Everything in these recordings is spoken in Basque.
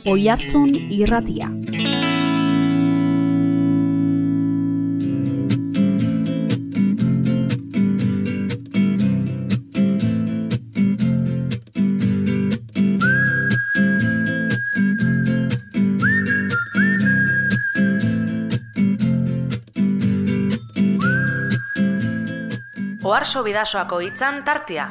Oihartzun irratia. Oharso Bidasoako hitzan tartea.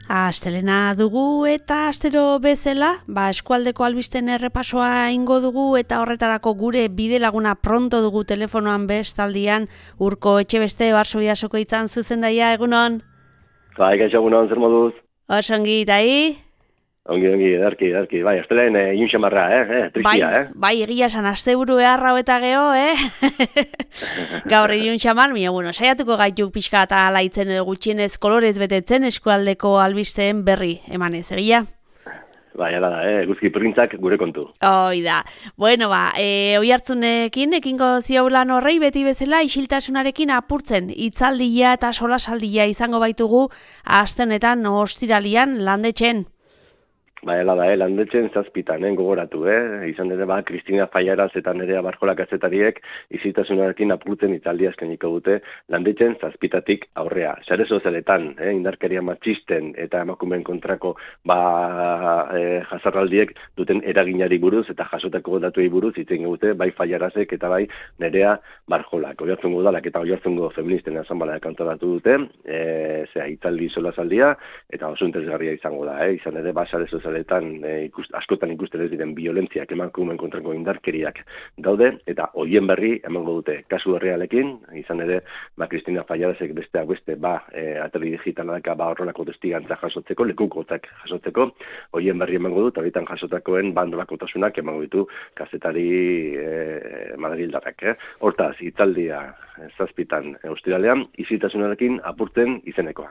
Astelena dugu eta astero bezala, eskualdeko albisten errepasoa ingo dugu eta horretarako gure bidelaguna pronto dugu telefonoan bestaldian. Urko Etxebeste, Oharso Bidasoko hitzan zuzendaia, egunon? Bai, gaixo egunon, zer moduz? Osongi, tai? Ongi, edarki. Bai, astelen iunxamarra, tristia, Bai, egia esan, asteburu eharra eta geho, Gaur iunxamar, saiatuko gaitu pixka eta alaitzen edo gutxienez kolorez betetzen eskualdeko albisteen berri emanez, egia? Bai, ala da, guzki printzak gure kontu. Hoi da. Bueno, Oihartzunekin ekingo ziaulan horrei beti bezala isiltasunarekin apurtzen hitzaldia eta solasaldia izango baitugu aste honetan ostiralian landetxen. Bai, ala da, landetzen zazpitan, gogoratu, izan ere, Kristina Faiaraz eta Nerea Barjola kazetariek izitasunarekin apurtzen hitzaldia eskainiko dute landetzen zazpitatik aurrea. Sare sozialetan, indarkeria matxisten eta emakumeen kontrako jazarraldiek duten eraginari buruz eta jasotako datuei buruz hitz egin dute, bai Faiarazek eta bai Nerea Barjolak. Oihartzungo udalak eta Oihartzungo feministen asanbladak antolatu dute, hitzaldi solasaldia eta oso interesgarria izango da, izan ere, sare askotan ikusten ez diren biolentziak emakumeen kontrako indarkeriak daude, eta hoien berri emango dute kasu errealekin, izan ere, Kristina Faiarazek besteak beste, atari digitalak horrelako testigantza jasotzeko, lekukotzak jasotzeko, hoien berri emango dut, horietan jasotakoen bandolakotasunak emango ditu kazetari madrildarrak. Hortaz, hitzaldia zazpitan ostiralean, izitasunarekin apurtzen izenekoa.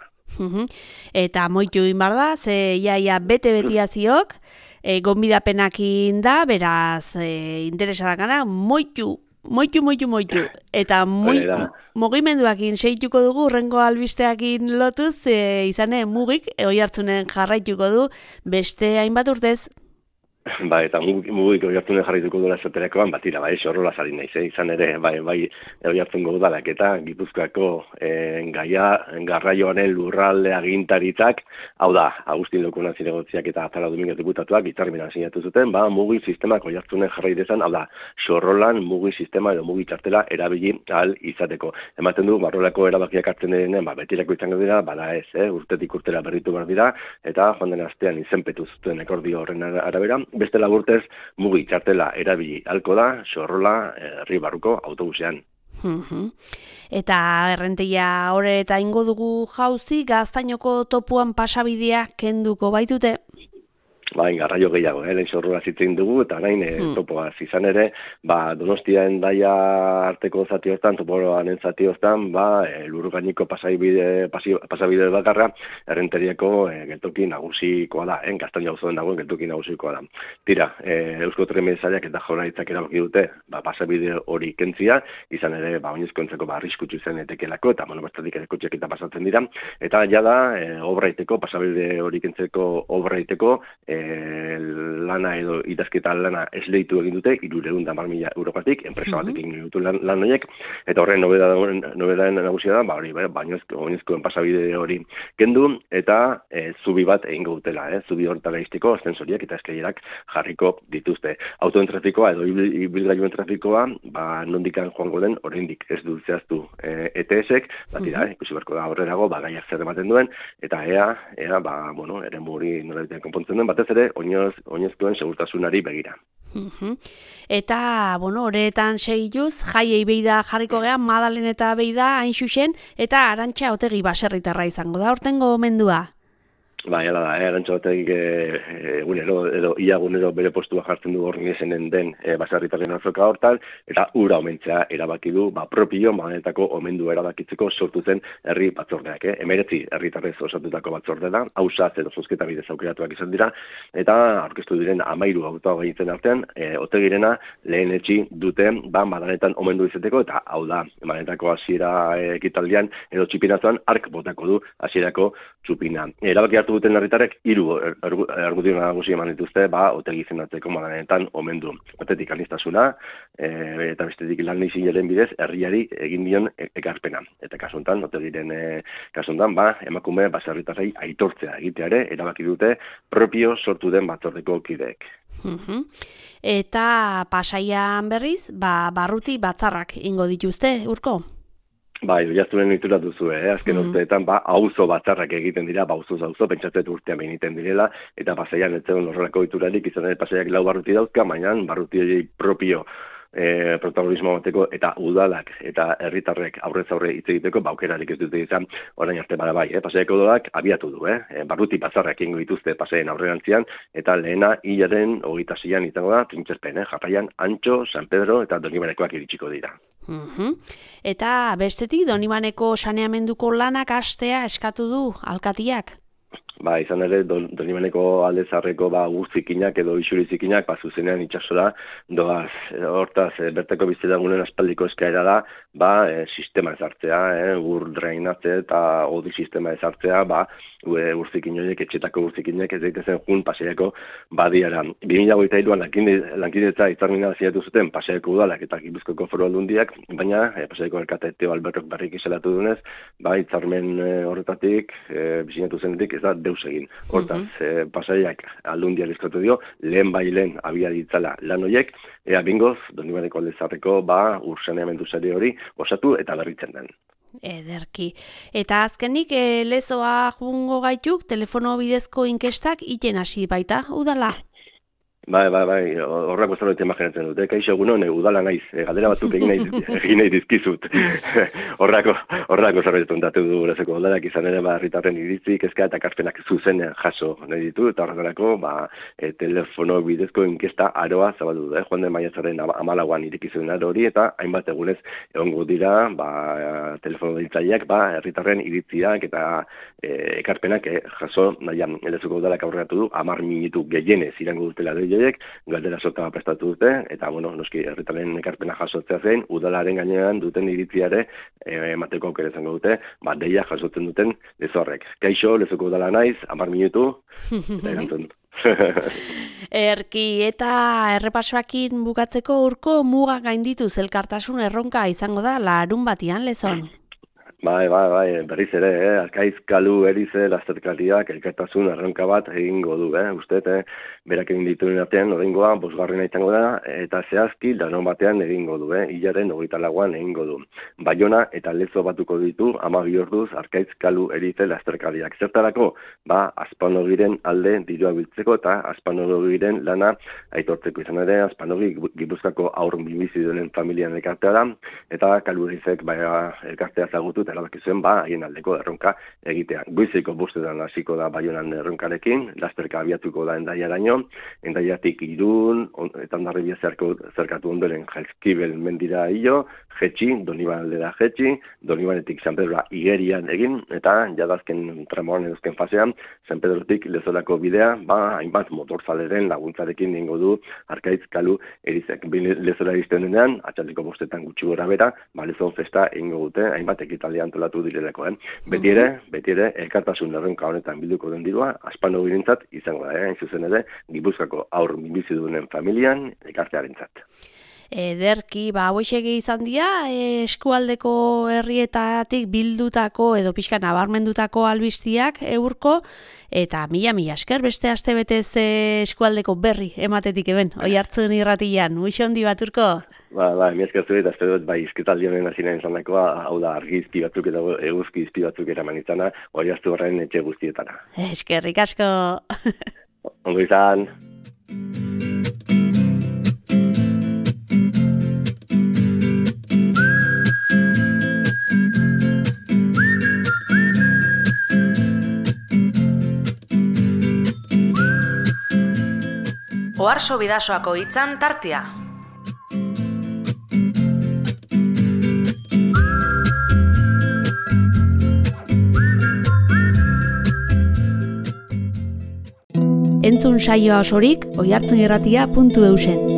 Eta moitu inbar da, ze iaia bete-betiaziok, gonbidapenakin da, beraz, interesadak gana, moitu. Eta mugimenduakin seituko dugu, urrengo albisteakin lotuz, izane mugik, Oihartzunen jarraituko du, beste hainbat urtez. Eta mugik Oihartzunen jarraituko duela esaterakoan, batira, horrola zari naiz, izan ere, Oihartzungo udalak eta Gipuzkoako garraioaren lurralde agintaritzak, hau da, Agustin Lokunan zinegotziak eta Azala Dominguez diputatuak hitzarmena sinatu zuten, mugi sistemak Oihartzunen jarrai dezan, hau da, sorrolan mugi sistema edo mugi txartela erabili ahal izateko. Ematen du, barrolako erabakiak hartzen direnean, betirako izango dira, ez, urtetik urtera berritu behar dira, eta joan den astean izenpetu zuten akordio horren arabera, beste laburtez mugi txartela erabili halko da, sorrola herri barruko autobusean. Eta errenteia hori eta ingo dugu jauzi, Gaztainoko topuan pasabidea kenduko baitute? Garraio gehiago, lehen sorrola zitzen dugu, eta orain topoaz izan ere, Donostia Hendaia arteko zati hortan, toporoanen zati hortan, lurgainiko pasabide bakarra, errenteriako geltoki nagusikoa da, Gaztaina auzoan dagoen geltoki nagusikoa da. Tira, Eusko Trenbideak eta Jaurlaritzak erabaki dute, pasabide hori kentzia, izan ere, oinezkoentzako arriskutsu zen etekelako, eta bertatik ere kotxeak eta pasatzen dira, eta jada, pasabide hori kentzeko obra iteko, lana edo idazketa lana esleitu egin dute, 310.000 eurokatik, enpresa batek egin dute lan horiek, eta horren nobedaden nagusia da, oinezkoen pasabide hori kendu, eta zubi bat egingo dutela, zubi horretara izteko, ascensoriak eta eskailerak jarriko dituzte. Autoen trafikoa edo ibilgailuen trafikoa, nondikan joango den, oraindik ez du zehaztu ETS-ek, ikusi beharko da horrerago, gaiak zer ematen duen, eta ea, eremu hori nolabitean konpontzen den, batez ere, oinezkoen segurtasunari begira. Eta, horretan segituz, jaiei beida jarriko geha, Madalen eta beida hain xuxen, eta Arantxa Otegi baserritarra izango da, hortengo mendua? Hala da, Arantxotek egunero, edo ia egunero bere postua jartzen du Orniesenen den baserritarren azoka hortan, eta ura omentzea erabaki du, propio manetako omendu erabakitzeko sortu zen herri batzordeak. 19 herritarrez osatutako batzorde da, hausaz edo zozketa bidez aukeratuak izan dira, eta aurkeztu diren 13 hautagaitzen artean, Otegirena lehen etxi dute, madanetan omendu izeteko, eta hau da, manetako hasiera ekitaldian, edo txipinatuan ark botako du hasierako txupina. Erabaki hartu duten herritarrek 3 argudio nagusi eman dituzte, Otegi izendatzeko madanetan omendu. Batetik aniztasuna, eta bestetik lan izinaren bidez herriari egin dion ekarpena. Eta kasuntan, Otegiren kasuntan, emakume baserritarrei aitortzea egiteare erabaki dute propio sortu den batzordeko kideek. Eta Pasaian berriz, barruti batzarrak ingo dituzte, Urko? Oiartzunen itura duzu, azken urteetan, auzo batzarrak egiten dira, auzoz auzo, pentsatzen urtean egiten direla, eta Pasaian ez zegoen horrelako iturarik, izan ere Pasaiak 4 barruti dauzka, baina barruti propio protagonismo bateko eta udalak eta herritarrek aurrez aurre hitz egiteko aukerarik ez dute izan orain arte bada Pasaiako udalak abiatu du, barruti batzarrak egingo dituzte Pasaien aurrerantzian eta lehena hilaren 26an izango da Trintxerpen, jarraian Antxo, San Pedro eta Donibanekoak iritsiko dira. Eta bestetik Donibaneko saneamenduko lanak hastea eskatu du alkatiak. Izan ere, Donibaneko alde zarreko urzikinak edo isurizikinak zuzenean itxasora doaz. Hortaz, bertako bizitzagunen aspaldiko eskaera da, sistema ezartzea, ur drainatze eta odi sistema ezartzea, urzikin horiek, etxetako urzikinek ez daitezen jun Pasaiako badiara. 2023an lankidetza hitzarmena sinatu zuten Pasaiako udalak eta Gipuzkoako Foru Aldundiak, baina Pasaiako alkate Teo Albertok berriki salatu dunez, hitzarmen horretatik, sinatu zenetik ez da deus egin. Hortaz, Pasaiak Aldundiari eskatu dio, lehen abia ditzala lan horiek, ea bingoz, Donibaneko alde zarreko ur saneamendu sare hori osatu eta berritzen den. Ederki. Eta azkenik, lezoa jungo gaituk, telefono bidezko inkestak iten hasi baita, udala? Horrako zerbait imaginatzen dut. Kaixo egunon, udala naiz, galdera batzuk egin nahi dizkizut. Horrako zerbait ondatu du lezeko udalak izan ere herritarren iritzi, kezka eta ekarpenak zuzenean jaso nahi ditu, eta horretarako telefono bidezko inkesta aroa zabaldu da. Joan den maiatzaren 14an irekizuen aro hori, eta hainbat egunez egongo dira telefono deitzaileak herritarren iritziak eta ekarpenak jaso nahian. Lezeko udalak aurreratu du, 10 minutu gehienez irango dutela galdera sota prestatu dute, eta noski herritarren ekarpena jasotzea zein, udalaren gainean duten iritziare emateko aukera izango dute, deia jasotzen duten lezorrek. Kaixo, lezoko udala naiz, 10 minutu, erantzun. Erki, eta errepasoakin bukatzeko Urko muga gaindituz elkartasun erronka izango da larun batian lezon. Berriz ere, Arkaiz Kalu Erize lasterkariak elkartasun erronka bat egingo du, uste, berak egin dituen artean, oraingoa, 5. izango da, eta zehazki larun batean egingo du, hilaren 24an egingo du. Baiona eta Lezo batuko ditu 12 orduz Arkaiz Kalu Erize lasterkariak. Zertarako, Azpanogiren alde dirua biltzeko eta Azpanogiren lana aitortzeko izan ere, Azpanogi Gipuzkoako haur bizidunen familian elkartea da, eta Kalu Erizek elkartea zagutu eta erabakizuen haien aldeko erronka egitea. Goizeko 5 hasiko da Baionan erronkarekin, lasterka abiatuko da Endaiaraino, Endaiatik Irun, eta Hondarribia zerkatu ondoren Jaizkibel mendira hilo, jetxi, Doniban aldera jetxi, Donibanetik San Pedroa igerian egin, eta jadazken tramoan edozken fasean, San Pedrotik Lezorako bidea, hainbat motorzaleren laguntzarekin ingo du Arkaiz Kalu Erizek. Lezora izten denean, atxaldeko 5 gutxi gora bera, Lezon festa ingo dute, hainbat ekitaldi antolatu direleko. Beti ere, elkartasun erronka honetan bilduko den dirua, Azpanogirentzat izango da, hain zuzen ere, Gipuzkoako haur bizidunen familian elkartearentzat. Ederki, hauexegi izan dira, eskualdeko herrietatik bildutako edo pixka nabarmendutako albiztiak Urko, eta mila esker beste astebetez eskualdeko berri ematetik eben, Oiartzun irratian, uixo handi bat Urko? Mi esker zure, eta espero izketaldi honen hasina izanakoa, hau da argizki batzuk eta eguzki izpi batzuk eraman izana, Oiartzu horren etxe guztietara. Eskerrik asko! Ondo izan! Oarso Bidasoako hitzan tartea. Entzun saioa osorik oihartzunirratia.eusen.